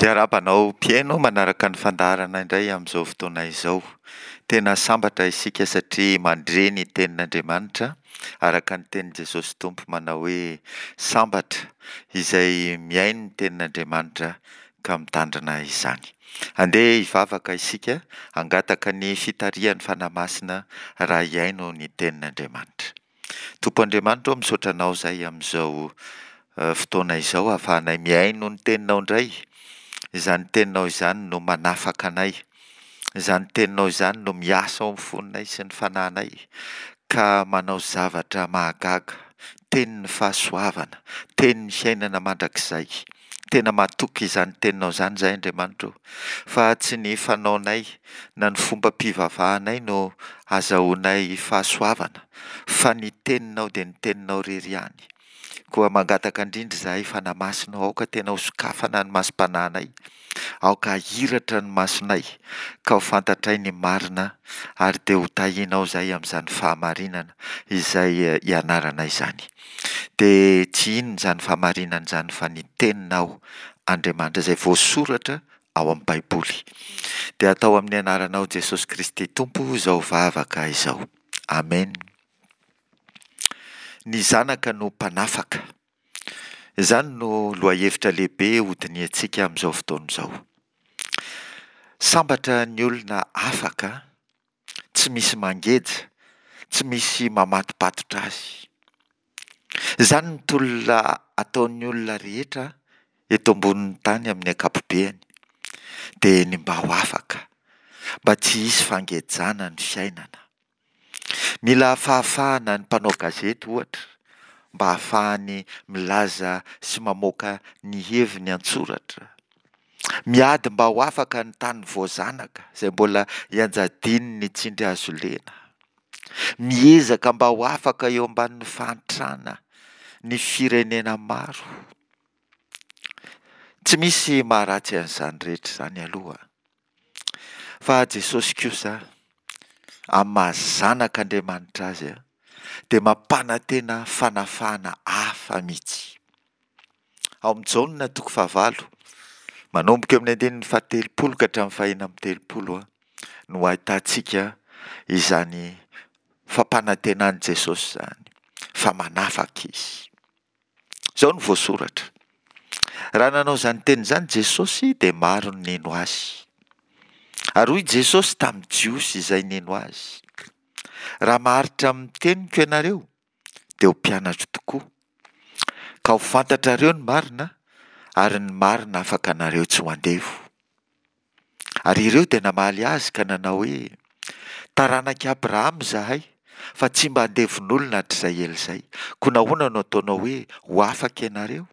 Miarahaba anao mpihaino manaraka ny fandaharana indray amin'izao fotoana izao. Tena sambatra isika satria mandre ny tenin'Andriamanitra araka ny tenin'i Jesosy Tompo manao hoe sambatra izay mihaino ny tenin'Andriamanitra ka mitandrina izany. Andeha hivavaka isika hangataka ny fitarihan'ny Fanahy Masina raha hihaino ny tenin'Andriamanitra. Tompo Andriamanitra ô, misaotra Anao izahay amin'izao fotoana izao ahafahanay mihaino ny Teninao indray. Izany Teninao izany no manafaka anay. Izany Teninao izany no miasa ao amin'ny fonay sy ny fanahinay ka manao zavatra mahagaga. Tenin'ny fahasoavana, tenin'ny fiainana mandrakizay. Tena matoky izany Teninao izany izahay Andriamanitra ô, fa tsy ny fanaonay na ny fombam-pivavahanay no azahoanay fahasoavana, fa ny Teninao dia ny Teninao irery ihany. Koa mangataka indrindra izahay Fanahy Masina ô, aoka tena hosokafana ny masom-panahinay, aoka hahiratra ny masonay, ka ho fantatray ny marina, ary dia ho tahianao izahay amin'izany fahamarinana izay ianaranay izany. Dia tsy inona izany fahamarinana izany fa ny Teninao Andriamanitra izay voasoratra ao amin'ny Baiboly. Dia atao amin'ny anaranao Jesosy Kristy Tompo izao vavaka izao. Amen. Ny Zanaka no mpanafaka. Izany no lohahevitra lehibe hodinihantsika amin'izao fotoana izao. Sambatra ny olona afaka tsy misy mangeja, tsy misy mamatopatotra azy. Izany ny tolona ataon'ny olona rehetra eto ambonin'ny tany amin'ny ankapobeany, dia ny mba ho afaka, mba tsy hisy fangejana ny fiainana. Mila fahafahana ny mpanao gazety ohatra, mba hahafahany milaza sy mamoaka ny heviny an-tsoratra. Miady mba ho afaka ny tany voazanaka izay mbola ianjadian'ny tsindry hazo lena. Miezaka mba ho afaka eo ambanin'ny fahantrana ny firenena maro. Tsy misy maharatsy an'izany rehetra izany aloha. Fa Jesosy kosa, amin'ny maha zanak'Andriamanitra azy, dia mampanantena fanafahana hafa mihitsy. Ao amin'ny Jaona toko fahavalo, manomboka eo amin'ny andininy fahatelopolo ka hatramin'ny fahenina amby telopolo no ahitantsika izany fampanantenan'i Jesosy izany fa manafaka Izy. Izao no voasoratra, Raha nanao izany teny izany Jesosy dia maro ny nino Azy. Ary hoy Jesosy tamin'ny Jiosy izay nino Azy, Raha maharitra amin'ny teniko ianareo, dia ho mpianatro tokoa, ka ho fantatrareo ny marina, ary ny marina afaka anareo tsy ho andevo. Ary ireo dia namaly azy ka nanao hoe, Taranak'i Abrahama izahay, fa tsy mba andevon'olona hatrizay ela izay, koa nahoana no ataonao hoe, Ho afaka ianareo?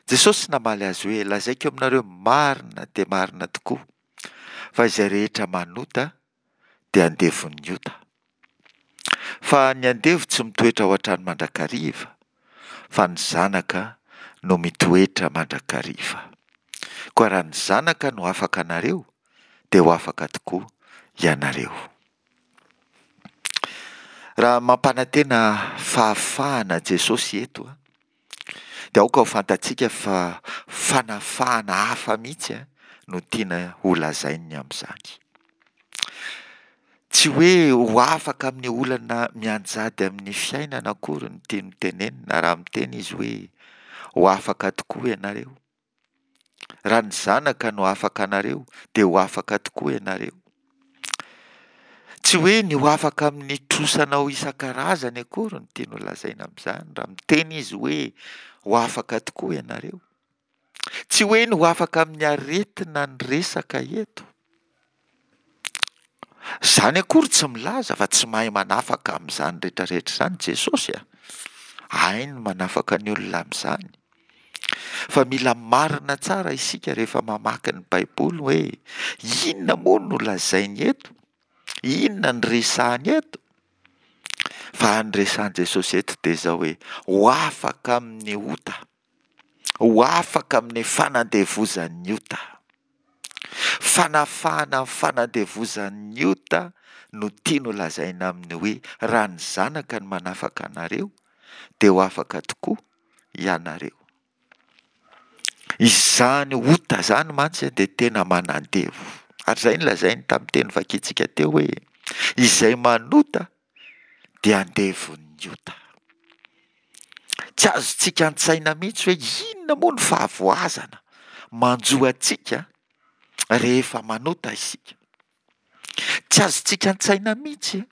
Jesosy namaly azy hoe, Lazaiko aminareo marina dia marina tokoa, fa izay rehetra manota dia andevon'ny ota. Fa ny andevo tsy mitoetra ao an-trano mandrakariva, fa ny zanaka no mitoetra mandrakariva. Koa raha ny Zanaka no afaka anareo, dia ho afaka tokoa ianareo. Raha mampanantena fahafahana Jesosy eto, dia aoka ho fantatsika fa fanafahana hafa mihitsy no tiana holazainy amin'izany. Tsy hoe ho afaka amin'ny olana mianjady amin'ny fiainana akory no tiany hotenenina raha miteny izy hoe ho afaka tokoa ianareo. Raha ny Zanaka no afaka anareo, dia ho afaka tokoa ianareo. Tsy hoe ny ho afaka amin'ny trosanao isan-karazany akory no tiany holazaina amin'izany, raha miteny izy hoe ho afaka tokoa ianareo. Tsy hoe ny ho afaka amin'ny aretina ny resaka eto. Izany akory tsy milaza fa tsy mahay manafaka amin'izany rehetrarehetra izany Jesosy a. Hainy ny manafaka ny olona amin'izany. Fa mila marina tsara isika rehefa mamaky ny Baiboly hoe inona moa no lazainy eto? Inona no resahany eto? Fa ny resahan'i Jesosy eto dia izao hoe ho afaka amin'ny ota, ho afaka amin'ny fanandevozan'ny ota. Fanafahana amin'ny fanandevozan'ny ota no tiany holazaina amin'ny hoe raha ny Zanaka no manafaka anareo dia ho afaka tokoa ianareo. Izany ota izany mantsy dia tena manandevo. Ary izay no lazainy tamin'ny teny vakintsika teo hoe, izay manota dia andevon'ny ota. Tsy azontsika an-tsaina mihitsy hoe inona moa ny fahavoazana manjo antsika rehefa manota isika. Tsy azontsika an-tsaina mihitsy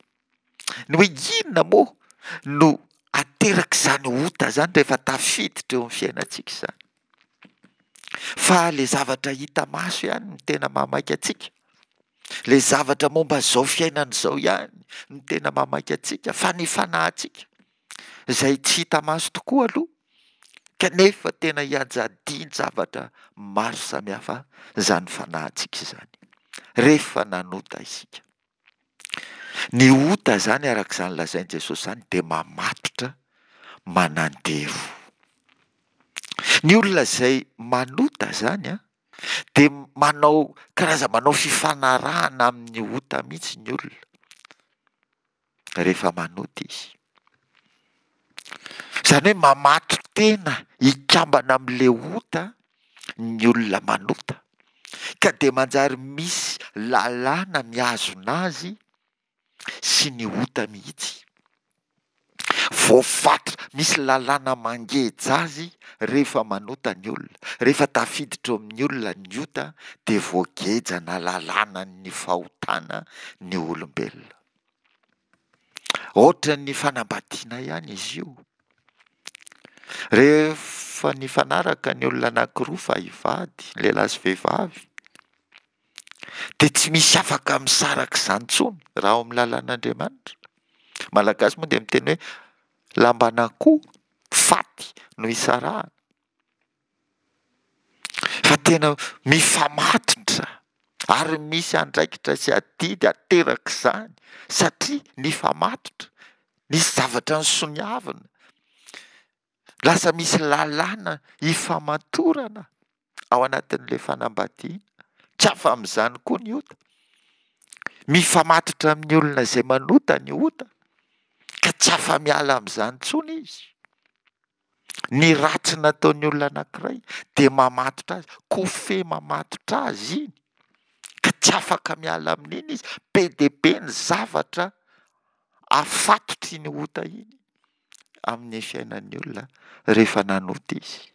ny hoe inona moa no aterak'izany ota izany rehefa tafiditra eo amin'ny fiainantsika izany. Fa ilay zavatra hita maso ihany no tena mahamaika antsika. Ilay zavatra momba izao fiainana izao ihany no tena mahamaika antsika, fa ny fanahintsika izay tsy hita maso tokoa aloha, kanefa tena ianjadian-javatra maro samihafa izany fanahintsika izany, rehefa nanota isika. Ny ota izany araka izany lazain'i Jesosy izany dia mamatotra, manandevo. Ny olona izay manota izany an, dia manao karazana manao fifanarahana amin'ny ota mihitsy ny olona rehefa manota izy. Izany hoe mamato-tena hikambana amin'ilay ota ny olona manota, ka dia manjary misy lalàna mihazona azy sy ny ota mihitsy. Voafatotra, misy lalàna mangeja azy rehefa manota ny olona. Rehefa tafiditra eo amin'ny olona ny ota dia voagejana lalànan'ny fahotana ny olombelona. Ohatran'ny fanambadiana ihany izy io. Rehefa nifanaraka ny olona anankiroa fa hivady, lehilahy sy vehivavy, dia tsy misy afaka misaraka izany intsony raha ao amin'ny lalàn'Andriamanitra. Malagasy moa dia miteny hoe lamban'akoho faty no isarahana. Fa tena mifamatotra ary misy andraikitra sy adidy aterak'izany satria nifamatotra, nisy zavatra nosoniavina, lasa misy lalàna ifamatorana ao anatin'ilay fanambadiana. Tsy afa amin'izany koa ny ota. Mifamatotra amin'ny olona izay manota ny ota ka tsy afa-miala amin'izany intsony izy. Ny ratsy nataon'ny olona anankiray dia mamatotra azy, kofehy mamatotra azy iny, ka tsy afaka miala amin'iny izy. Be dia be ny zavatra afatotry iny ota iny amin'ny fiainan'ny olona rehefa nanota izy.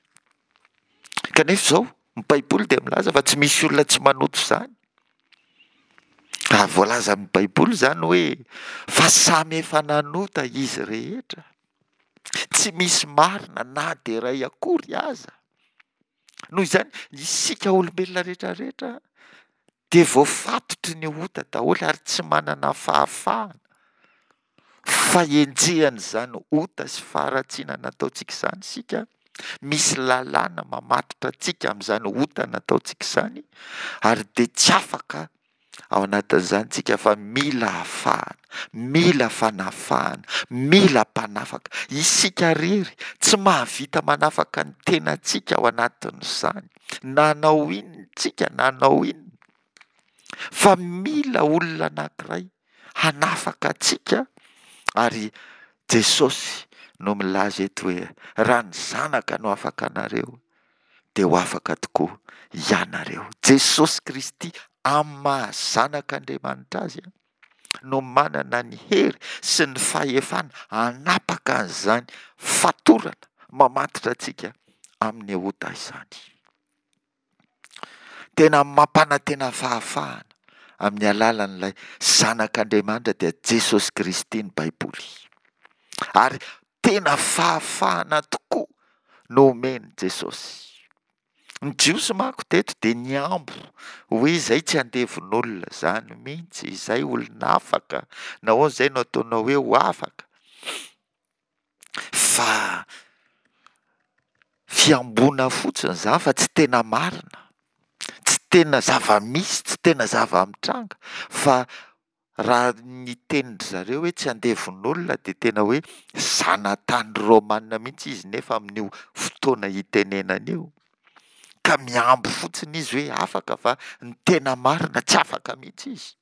Kanefa izao, ny Baiboly dia milaza fa tsy misy olona tsy manota izany. Raha voalazan'ny Baiboly izany hoe fa samy efa nanota izy rehetra. Tsy misy marina na dia iray akory aza. Noho izany, isika olombelona rehetra rehetra dia voafatotry ny ota daholo ary tsy manana fahafahana fa enjehan'izany ota sy faharatsiana nataontsika izany isika. Misy lalàna mamatotra antsika amin'izany ota nataontsika izany ary dia tsy afaka Ao anatin'izany tsika fa mila afahana, mila fanafahana, mila mpanafaka. Isika rery tsy mahavita manafaka ny tenantsika ao anatin'izany, na hanao inona tsika na hanao inona, fa mila olona anankiray hanafaka antsika ary Jesosy no milaza eto hoe raha ny Zanaka no afaka anareo dia ho afaka tokoa ianareo. Jesosy Kristy amin'ny maha Zanak'Andriamanitra Azy no manana ny hery sy ny fahefana hanapaka an'izany fatorana mamatotra antsika amin'ny ota izany. Tena mampanantena fahafahana amin'ny alalan'ilay Zanak'Andriamanitra dia Jesosy Kristy ny Baiboly. Ary tena fahafahana tokoa no omen'i Jesosy. Ny Jiosy manko teto dia nihambo hoe izay tsy andevon'olona izany mihitsy, izay olona afaka, nahoana izay no ataonao hoe ho afaka? Fa fihamboana fotsiny izany fa tsy tena marina, tsy tena zava-misy, tsy tena zava-mitranga fa Raha ny tenin-dry zareo hoe tsy andevon'olona dia tena hoe zanatany romana mihitsy izy nefa amin'io fotoana itenenana io. Ka mihambo fotsiny izy hoe afaka fa ny tena marina tsy afaka mihitsy izy.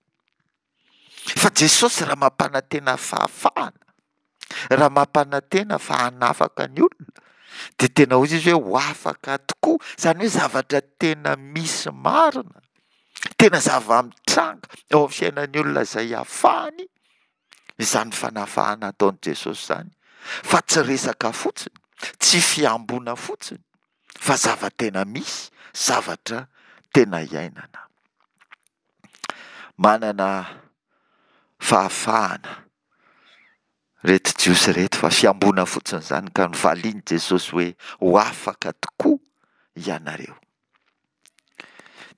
Fa Jesosy raha mampanantena fahafahana, raha mampanantena fa hanafaka ny olona. Dia tena hoy izy hoe ho afaka tokoa, izany hoe zavatra tena misy marina, tena zava-mitranga eo amin'ny fiainan'ny olona izay afahany izany fanafahana ataon'i Jesosy izany, fa tsy resaka fotsiny, tsy fihamboana fotsiny, fa zava-tena misy, zavatra tena iainana. Manana fahafahana ireto Jiosy ireto fa fihamboana fotsiny izany ka novalian'i Jesosy hoe ho afaka tokoa ianareo.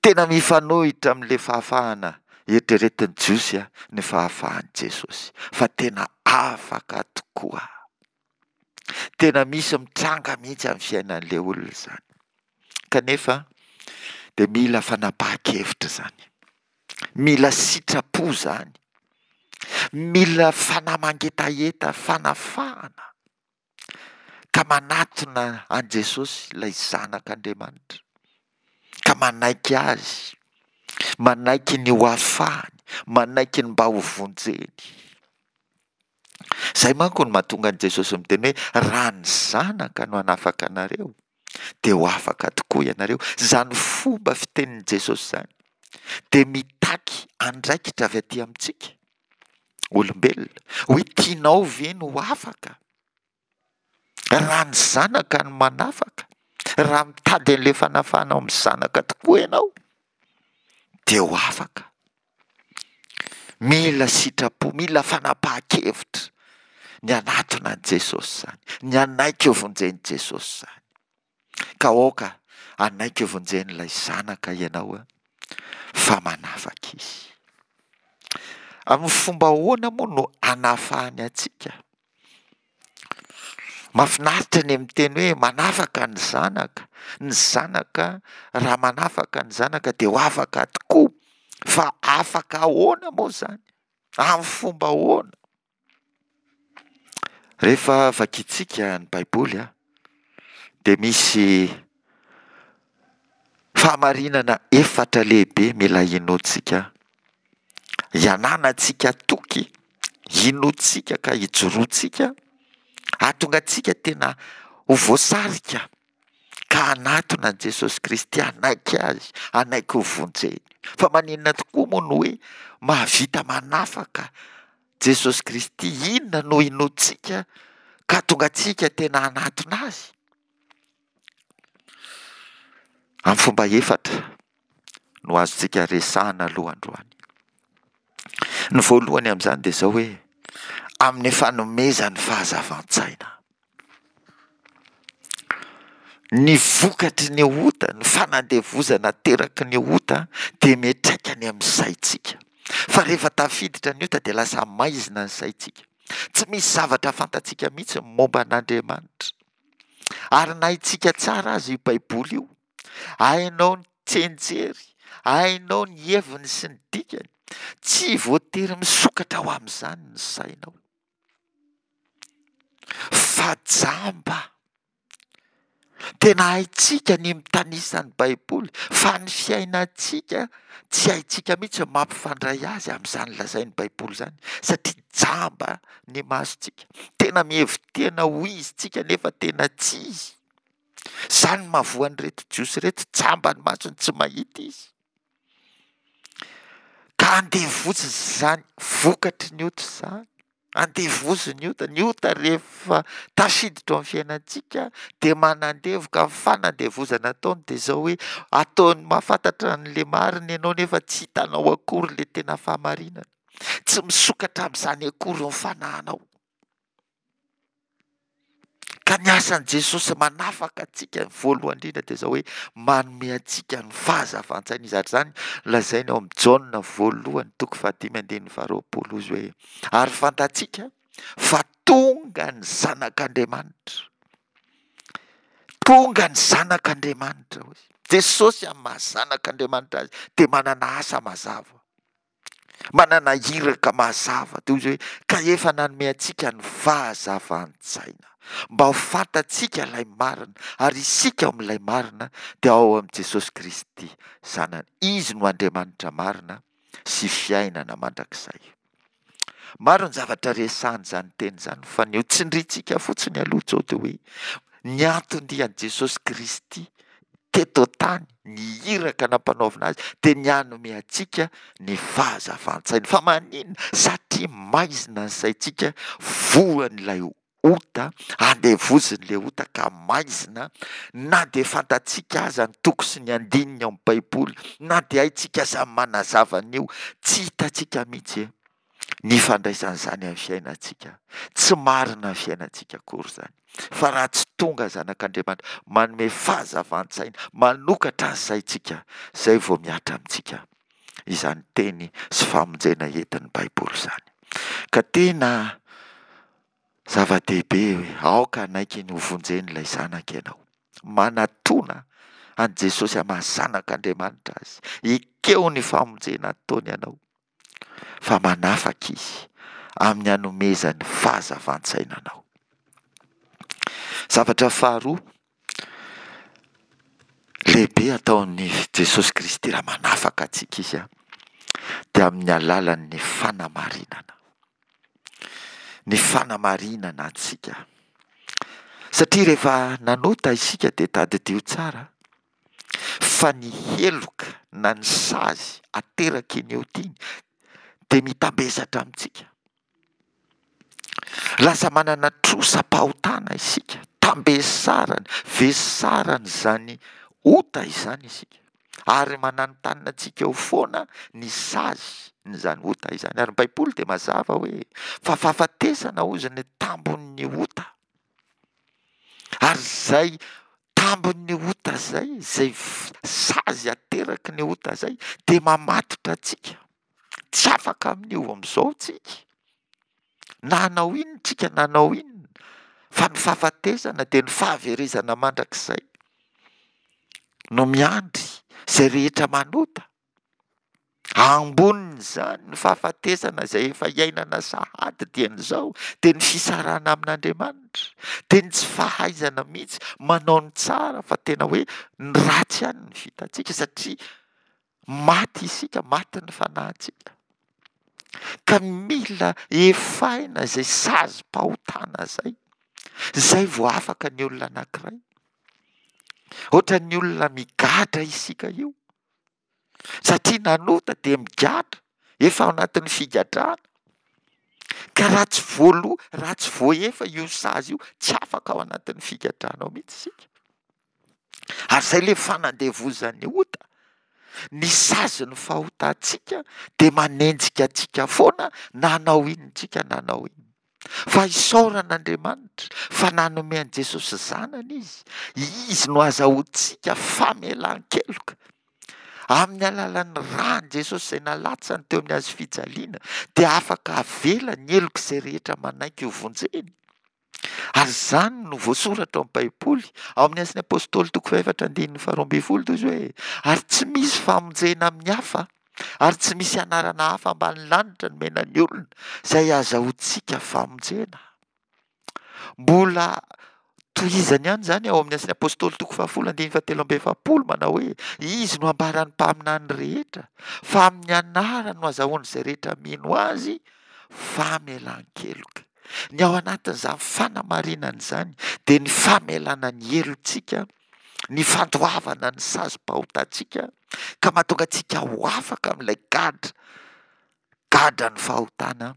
Tena mifanohitra amin'ilay fahafahana eritreretin'ny Jiosy ny fahafahan'i Jesosy fa tena afaka tokoa. Tena misy mitranga mihitsy amin'ny fiainan'ilay olona izany. Kanefa dia mila fanapahan-kevitra izany. Mila sitrapo izany. Mila fanahy mangetaheta fanafahana ka manatona an'i Jesosy ilay Zanak'Andriamanitra, ka manaiky Azy, manaiky ny ho afahany, manaiky ny mba ho vonjeny. Izay manko no mahatonga an'i Jesosy miteny hoe raha ny Zanaka no hanafaka anareo dia ho afaka tokoa ianareo. Izany fomba fitenin'i Jesosy izany dia mitaky andraikitra avy aty amintsika olombelona hoe tianao ve ny ho afaka? Raha ny Zanaka no manafaka, raha mitady an'ilay fanafahana ao amin'ny Zanaka tokoa ianao dia ho afaka. Mila sitrapo, mila fanapahan-kevitra ny hanatona an'i Jesosy izany, ny hanaiky hovonjen'i Jesosy izany. Ka aoka hanaiky hovonjen'ilay Zanaka ianao fa manafaka Izy. Amin'ny fomba ahoana moa no hanafahany antsika? Mahafinaritra ny miteny hoe manafaka ny zanaka, ny zanaka raha manafaka ny zanaka dia ho afaka tokoa, fa afaka ahoana moa izany? Amin'ny fomba ahoana? Rehefa vakintsika ny Baiboly dia misy fahamarinana efatra lehibe mila inoantsika, iananantsika toky, inoantsika ka ijoroantsika, hahatonga antsika tena ho voasarika ka hanatona an'i Jesosy Kristy, hanaiky Azy, hanaiky ho vonjeny. Fa maninona tokoa moa no hoe mahavita manafaka Jesosy Kristy? Inona no inoantsika ka hahatonga antsika tena hanatona Azy? Amin'ny fomba efatra no azontsika resahana aloha androany. Ny voalohany amin'izany dia izao hoe amin'ny fanomezany fahazavan-tsaina. Ny vokatry ny ota, ny fanandevozana ateraky ny ota dia miantraika any amin'ny saintsika. Fa rehefa tafiditra ny ota dia lasa maizina ny saintsika. Tsy misy zavatra fantatsika mihitsy ny momba an'Andriamanitra. Ary na haintsika tsara aza io Baiboly io, hainao ny tsianjery, hainao ny heviny sy ny dikany, tsy voatery misokatra ho amin'izany ny sainao. Fa jamba. Tena haintsika ny mitanisa ny Baiboly, fa ny fiainantsika tsy haintsika mihitsy ny mampifandray azy amin'izany lazain'ny Baiboly izany, satria jamba ny masontsika. Tena mihevi-tena ho izy tsika nefa tena tsy izy. Izany no mahavoa an'ireto Jiosy ireto, jamba ny masony, tsy mahita izy. Ka andevoziny izany vokatry ny ota izany. Andevozin'ny ota. Ny ota rehefa tafiditra ao amin'ny fiainantsika dia manandevo ka ny fanandevozana ataony dia izao hoe ataony mahafantatra an'ilay marina ianao nefa tsy hitanao akory ilay tena fahamarinana. Tsy misokatra amin'izany akory ny fanahinao. Ka ny asan'i Jesosy manafaka antsika ny voalohany indrindra dia izao hoe manome antsika ny fahazavan-tsaina izy. Ary izany lazainy ao amin'ny Jaona voalohany toko fahadimy andininy faharoapolo izy hoe ary fantatsika fa tonga ny zanak'Andriamanitra. Tonga ny zanak'Andriamanitra hoy izy. Jesosy amin'ny maha zanak'Andriamanitra azy dia manana asa mazava. Manana iraka mazava toy izay hoe ka efa nanome antsika ny fahazavan-tsaina mba ho fantatsika ilay marina ary isika ao amin'ilay marina dia ao amin'i Jesosy Kristy Zanany. Izy no Andriamanitra marina sy fiainana mandrakizay. Maro ny zavatra resahan'izany teny izany fa ny ho tsindrintsika fotsiny aloha izao dia hoe. Ny anton-dian'i Jesosy Kristy teto an-tany, ny iraka nampanaovina azy dia ny hanome antsika ny fahazavan-tsaina. Fa maninona? Satria maizina ny saintsika, voan'ilay ota, andevozin'ilay ota ka maizina, na dia fantatsika aza ny toko sy ny andininy ao amin'ny Baiboly, na dia haintsika aza ny manazava an'io, tsy hitantsika mihitsy ny ifandraisan'izany amin'ny fiainantsika. Tsy marina ny fiainantsika akory izany. Fa raha tsy tonga Zanak'Andriamanitra manome fahazavan-tsaina, manokatra ny saintsika, izay vao mihatra amintsika izany teny sy famonjena entin'ny Baiboly izany. Ka tena zava-dehibe hoe aoka hanaiky ny hovonjen'ilay Zanaka ianao. Manatona an'i Jesosy amin'ny maha Zanak'Andriamanitra Azy. Ekeo ny famonjena ataony anao. Fa manafaka Izy amin'ny hanomezany fahazavan-tsaina anao. Zavatra faharoa lehibe ataon'i Jesosy Kristy raha manafaka antsika Izy dia amin'ny alalan'ny fanamarinana. Ny fanamarinana antsika. Satria rehefa nanota isika dia tadidio tsara fa ny heloka na ny sazy ateraky ny ota iny dia mitambesatra amintsika. Lasa manana trosam-pahotana isika, tambesarany, vesarany izany ota izany isika, ary mananontanona antsika eo foana ny sazy n'izany ota izany. Ary ny Baiboly dia mazava hoe fa fahafatesana hozy ny tambon'ny ota. Ary izay tambin'ny ota izay, izay sazy ateraky ny ota izay dia mamatotra antsika. Tsy afaka amin'io amin'izao tsika. Na hanao inona tsika na hanao inona, fa ny fahafatesana dia ny fahaverezana mandrakizay no miandry izay rehetra manota. Ambonin'izany, ny fahafatesana izay efa iainana sahady dieny izao dia ny fisarahana amin'Andriamanitra, dia ny tsy fahaizana mihitsy manao ny tsara fa tena hoe ny ratsy ihany no vitantsika satria maty isika, maty ny fanahintsika. Ka mila efaina izay sazim-pahotana izay, izay vao afaka ny olona anankiray. Ohatran'ny olona migadra isika io. Satria nanota dia migadra, efa ao anatin'ny figadrana. Ka raha tsy voaloa, raha tsy voaefa io sazy io, tsy afaka ao anatin'ny figadrana ao mihitsy isika. Ary izay ilay fanandevozan'ny ota. Ny sazin'ny fahotantsika dia manenjika antsika foana na hanao inona isika na hanao inona. Fa isaorana Andriamanitra fa nanome an'i Jesosy Zanany Izy. Izy no azahoantsika famelan-keloka. Amin'ny alalan'ny ran'i Jesosy izay nalatsany teo amin'ny hazo fijaliana dia afaka avela ny helok'izay rehetra manaiky ho vonjeny. Ary izany no voasoratra ao amin'ny Baiboly, ao amin'ny Asan'ny Apostoly toko fahefatra andininy faharoa ambin'ny folo toy izao hoe, ary tsy misy famonjena amin'ny hafa, ary tsy misy anarana hafa ambany lanitra nomena ny olona izay azahoantsika famonjena. Mbola tohizany ihany izany ao amin'ny Asan'ny Apostoly toko fahafolo andininy fahatelo amby efapolo manao hoe, Izy no ambaran'ny mpaminany rehetra fa amin'ny anarany no azahoan'izay rehetra mino azy famelan-keloka. Ny ao anatin'izany fanamarinana izany dia ny famelana ny helotsika, ny fandoavana ny sazim-pahotantsika ka mahatonga antsika ho afaka amin'ilay gadra, gadran'ny fahotana,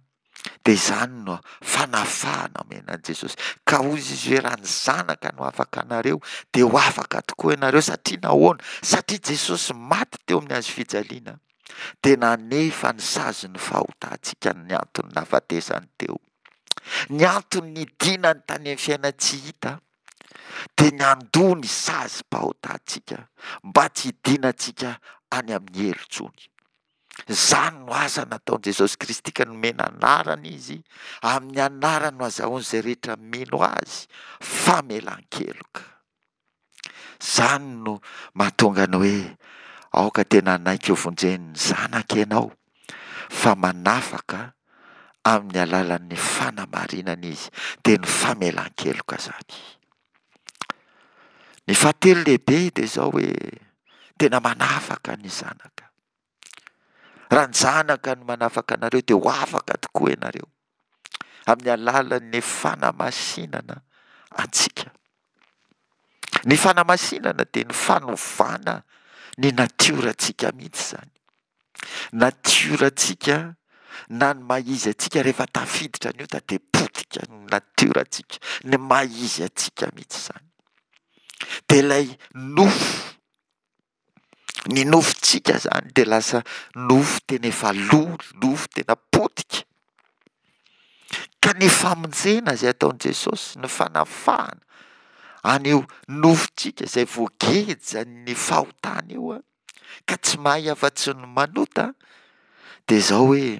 dia izany no fanafahana omena an'i Jesosy. Ka hoy Izy hoe raha ny Zanaka no afaka anareo dia ho afaka tokoa ianareo. Satria nahoana? Satria Jesosy maty teo amin'ny hazo fijaliana dia nanefa ny sazin'ny fahotantsika ny antony nahafatesany teo. Ny antony nidinany tany amin'ny fiainan-tsy hita dia ny handoa ny sazim-pahotantsika mba tsy hidinantsika any amin'ny helo intsony. Izany no asa nataon'i Jesosy Kristy ka nomena anarana Izy, amin'ny anarany no azahoan'izay rehetra mino Azy famelan-keloka. Izany no mahatonga ny hoe aoka tena hanaiky ho vonjen'ny Zanaka ianao fa manafaka amin'ny alalan'ny fanamarinana Izy, dia ny famelan-keloka izany. Ny fahatelo lehibe dia izao hoe tena manafaka ny Zanaka. Raha ny Zanaka no manafaka anareo dia ho afaka tokoa ianareo amin'ny alalan'ny fanamasinana antsika. Ny fanamasinana dia ny fanovana ny natiorantsika mihitsy izany. Natiorantsika na ny maha izy antsika rehefa tafiditra ny ota dia potika ny natiorantsika, ny maha izy antsika mihitsy izany. Dia ilay nofo, ny nofontsika izany dia lasa nofo tena efa lo, nofo tena potika. Ka ny famonjena izay ataon'i Jesosy, ny fanafahana an'io nofontsika izay voagejan'ny fahotana io, ka tsy mahay afa-tsy ny manota, dia izao hoe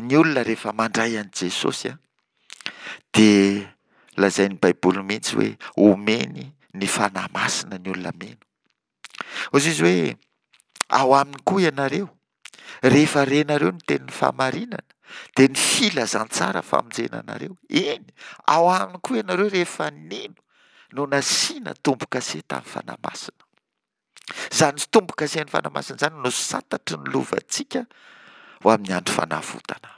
ny olona rehefa mandray an'i Jesosy dia lazain'ny Baiboly mihitsy hoe omeny ny Fanahy Masina ny olona mino. Hoy izy hoe ao aminy koa ianareo, rehefa renareo ny tenin'ny fahamarinana, dia ny filazantsara famonjena anareo. Eny, ao aminy koa ianareo rehefa nino no nasiana tombo-kase tamin'ny Fanahy Masina. Izany tombo-kasen'ny Fanahy Masina izany no santatry ny lovantsika ho amin'ny andro fanavotana.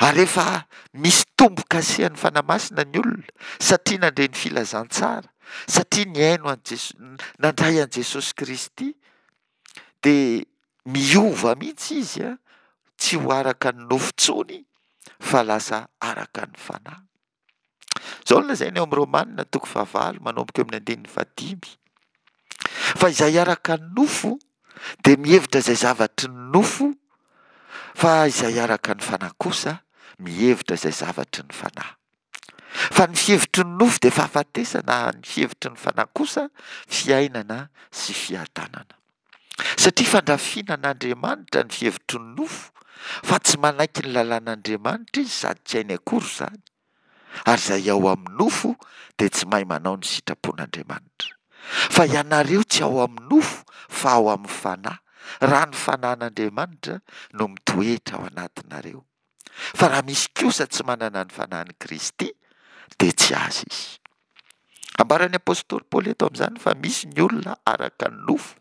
Ary rehefa misy tombo-kasehan'ny Fanahy Masina ny olona, satria nandre ny filazantsara, satria nihaino an'i Jeso-, nandray an'i Jesosy Kristy, dia miova mihitsy izy, tsy ho araka ny nofo intsony, fa lasa araka ny Fanahy. Izao no lazainy ao amin'ny Romana toko fahavalo manomboka eo amin'ny andininy fahadimy. Fa izay araka ny nofo dia mihevitra izay zavatry ny nofo, fa izay araka ny fanahy kosa mihevitra izay zavatry ny fanahy. Fa ny fihevitry ny nofo dia fahafatesana, ny fihevitry ny fanahy kosa fiainana sy fiadanana. Satria fandrafiana an'Andriamanitra ny fihevitry ny nofo, fa tsy manaiky ny lalàn'Andriamanitra izy sady tsy hainy akory izany, ary izay ao amin'ny nofo dia tsy mahay manao ny sitrapon'Andriamanitra. Fa ianareo tsy ao amin'ny nofo fa ao amin'ny Fanahy, raha ny Fanahin'Andriamanitra no mitoetra ao anatinareo. Fa raha misy kosa tsy manana ny Fanahin'i Kristy, dia tsy azy izy. Ambaran'ny apostoly Paoly eto amin'izany fa misy ny olona araka ny nofo,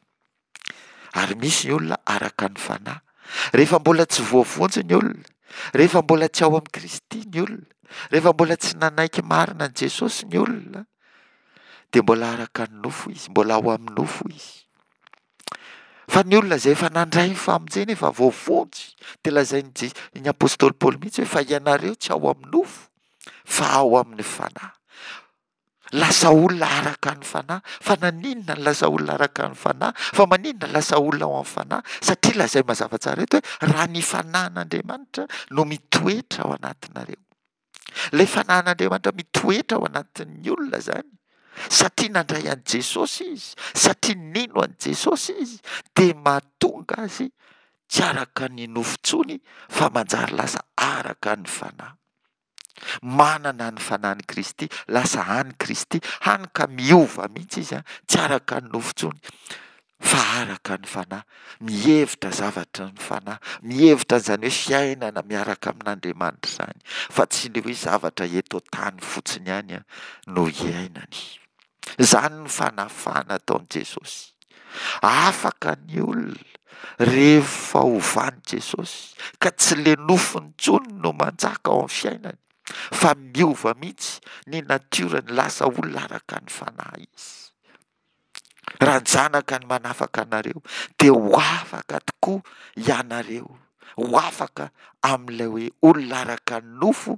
ary misy ny olona araka ny fanahy. Rehefa mbola tsy voavonjy ny olona, rehefa mbola tsy ao amin'i Kristy ny olona, rehefa mbola tsy nanaiky marina an'i Jesosy ny olona, dia mbola araka ny nofo izy, mbola ao amin'ny nofo izy. Fa ny olona izay efa nandray ny famonjena, efa voavonjy, dia lazain'i Je-, ny apostoly Paoly mihitsy hoe fa ianareo tsy ao amin'ny nofo fa ao amin'ny fanahy. Lasa olona araka ny fanahy. Fa naninona no lasa olona araka ny fanahy? Fa maninona lasa olona ao amin'ny fanahy? Satria lazainy mazava tsara eto hoe raha ny fanahin'Andriamanitra no mitoetra ao anatinareo. Ilay fanahin'Andriamanitra mitoetra ao anatin'ny olona izany, satria nandray an'i Jesosy izy, satria nino an'i Jesosy izy, dia mahatonga azy tsy araka ny nofo intsony fa manjary lasa araka ny fanahy. Manana ny fanahin'i Kristy, lasa an'i Kristy, hany ka miova mihitsy izy, tsy araka ny nofo intsony. Fa araka ny Fanahy, mihevitra zavatra ny Fanahy, mihevitra an'izany hoe fiainana miaraka amin'Andriamanitra izany, fa tsy ilay hoe zavatra eto an-tany fotsiny ihany no iainany. Izany ny fanafahana ataon'i Jesosy. Afaka ny olona rehefa ovan'i Jesosy, ka tsy ilay nofony intsony no manjaka ao amin'ny fiainany, fa miova mihitsy ny natiorany, lasa olona araka ny Fanahy izy. Raha ny Zanaka no manafaka anareo, dia ho afaka tokoa ianareo, ho afaka amin'ilay hoe olona araka ny nofo,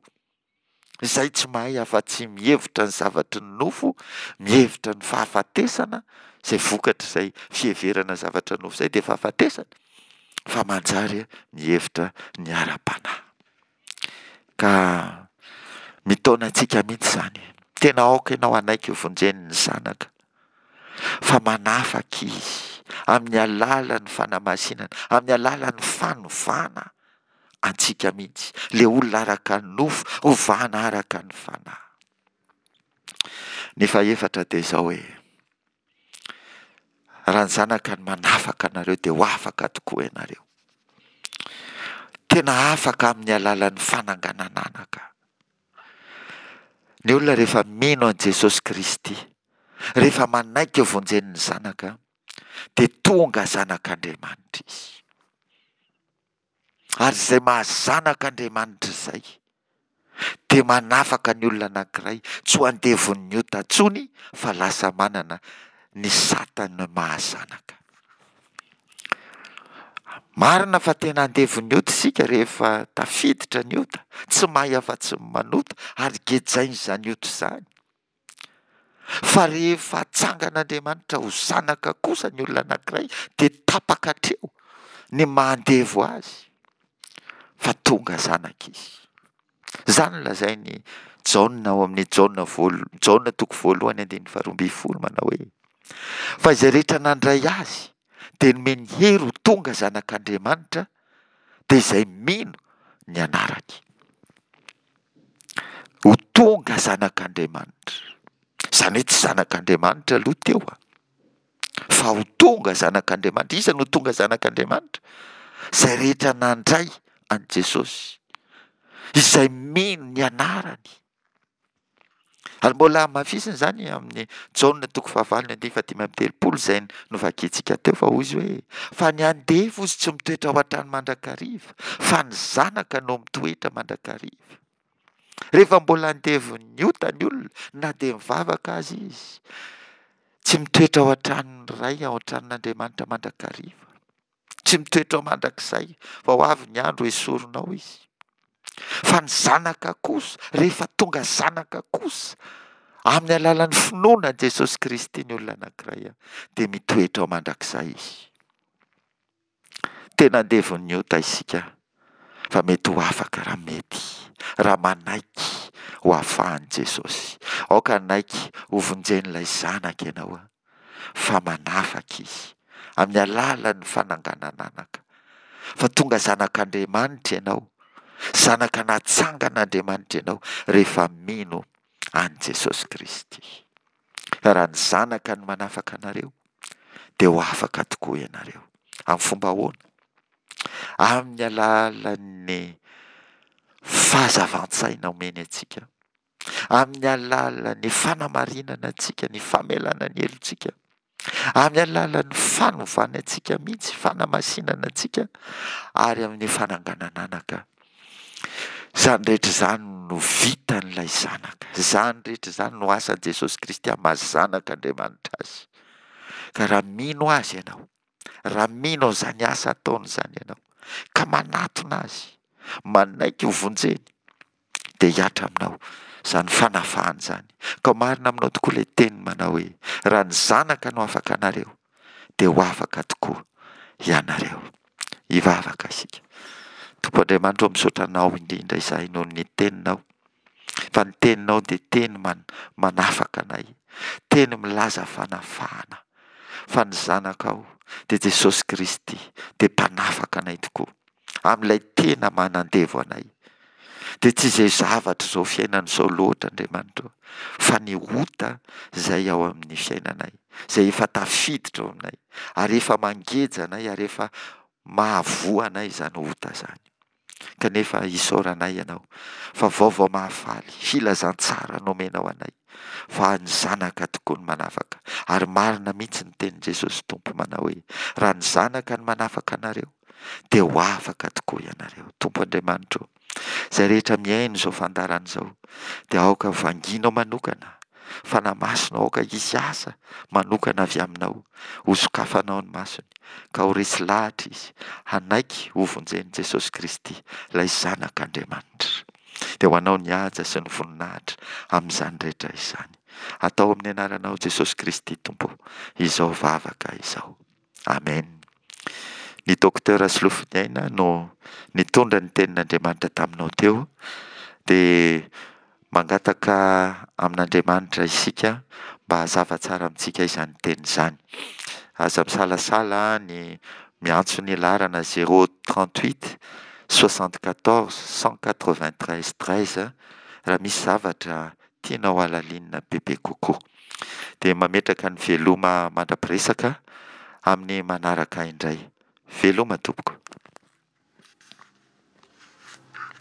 izay tsy mahay afa-tsy mihevitra ny zavatry ny nofo, mihevitra ny fahafatesana, izay vokatr'izay fiheverana zavatra nofo izay dia fahafatesana, fa manjary mihevitra ny ara-panahy. Ka mitaona antsika mihitsy izany. Tena aoka ianao hanaiky ho vonjen'ny Zanaka, fa manafaka Izy amin'ny alalan'ny fanamasinana, amin'ny alalan'ny fanovana antsika mihitsy, ilay olona araka ny nofo, ovana araka ny fanahy. Ny fahefatra dia izao hoe, Raha ny Zanaka no manafaka anareo dia ho afaka tokoa ianareo. Tena afaka amin'ny alalan'ny fananganan'anaka. Ny olona rehefa mino an'i Jesosy Kristy, rehefa manaiky ho vonjen'ny Zanaka, dia tonga zanak'Andriamanitra izy. Ary izay maha zanak'Andriamanitra izay. dia manafaka ny olona anankiray tsy ho andevon'ny ota intsony fa lasa manana ny satan'ny maha zanaka. Marina fa tena andevon'ny ota isika rehefa tafiditra ny ota, tsy mahay afa-tsy ny manota ary gejain'izany ota izany. Fa rehefa atsangan'Andriamanitra ho zanaka kosa ny olona anankiray dia tapaka hatreo ny maha andevo azy fa tonga zanaka izy. Izany no lazain'i Jaona ao amin'ny Jaona voalo- Jaona toko voalohany andininy faharoa ambin'ny folo manao hoe, Fa izay rehetra nandray azy dia nomeny hery ho tonga zanak'Andriamanitra, dia izay mino ny anarany. Ho tonga zanak'Andriamanitra. Izany hoe tsy zanak'Andriamanitra aloha teo a. Fa ho tonga zanak'Andriamanitra. Iza no tonga zanak'Andriamanitra? Izay rehetra nandray an'i Jesosy. Izay mino ny anarany. Ary mbola hamafisina izany amin'ny Jaona toko fahavalo ny andininy fahadimy amby telopolo izay novakintsika teo fa hoy izy hoe fa ny andevo izy tsy mitoetra ao an-trano mandrakariva fa ny zanaka no mitoetra mandrakariva. Rehefa mbola andevon'ny ota ny olona na dia mivavaka aza izy, tsy mitoetra ao an-tranon'ny Ray, ao an-tranon'Andriamanitra mandrakariva. Tsy mitoetra ao mandrakizay, fa ho avy ny andro hesorinao izy. Fa ny zanaka kosa, rehefa tonga zanaka kosa, amin'ny alalan'ny finoana an'i Jesosy Kristy ny olona anankiray, dia mitoetra ao mandrakizay izy. Tena andevon'ny ota isika, fa mety ho afaka raha mety, raha manaiky ho afahan'i Jesosy. Aoka hanaiky hovonjen'ilay Zanaka ianao. fa manafaka izy amin'ny alalan'ny fananganan'anaka. Fa tonga zanak'Andriamanitra ianao, zanaka natsangan'Andriamanitra ianao rehefa mino an'i Jesosy Kristy. Raha ny zanaka no manafaka anareo, dia ho afaka tokoa ianareo. Amin'ny fomba ahoana? Amin'ny alalan'ny fahazavan-tsaina omeny antsika. amin'ny alalan'ny fanamarinana antsika, ny famelana ny helotsika, amin'ny alalan'ny fanovana antsika mihitsy, fanamasinana antsika, ary amin'ny fananganan'anaka. Izany rehetra izany no vitan'ilay Zanaka. Izany rehetra izany no asan'i Jesosy Kristy amin'ny maha Zanak'Andriamanitra Azy. Ka raha mino Azy ianao, Raha mino an'izany asa ataony izany ianao, ka manatona Azy, manaiky ho vonjeny, dia hihatra aminao izany fanafahana izany. Ka ho marina aminao tokoa ilay teny manao hoe, Raha ny Zanaka no afaka anareo, dia ho afaka tokoa ianareo. Hivavaka isika. Tompo Andriamanitra ô, misaotra Anao indrindra izahay noho ny Teninao. Fa ny Teninao dia teny manafaka anay, teny milaza fanafahana. Fa ny Zanakao, dia Jesosy Kristy, dia Mpanafaka anay tokoa, amin'ilay tena manandevo anay. Dia tsy izay zavatra izao fiainana izao loatra, Andriamanitra ô, fa ny ota izay ao amin'ny fiainanay, izay efa tafiditra ao aminay, ary efa mangeja anay, ary efa mahavoa anay izany ota izany. Kanefa isaoranay Ianao fa vaovao mahafaly, filazantsara nomenao anay fa ny Zanaka tokoa no manafaka. Ary marina mihitsy ny tenin'i Jesosy Tompo manao hoe, raha ny Zanaka no manafaka anareo dia ho afaka tokoa ianareo. Tompo Andriamanitra ô, izay rehetra mihaino izao fandaharana izao dia aoka vangianao manokana Fanahy Masina aoka hisy asa manokana avy aminao, ho sokafanao ny masony, ka ho resy lahatra izy hanaiky ho vonjen'i Jesosy Kristy, ilay Zanak'Andriamanitra. Dia ho anao ny haja sy ny voninahitra amin'izany rehetra izany. Atao amin'ny anaranao Jesosy Kristy Tompo izao vavaka izao. Amen. Ny Docteur Solofoniaina no nitondra ny tenin'Andriamanitra taminao teo dia mangataka amin'Andriamanitra isika mba hazava tsara amintsika izany teny izany. Aza misalasala ny miantso ny laharana 038 74 193 13 raha misy zavatra tianao halalinina bebe kokoa. Dia mametraka ny veloma mandra-piresaka amin'ny manaraka indray. Veloma tompoko.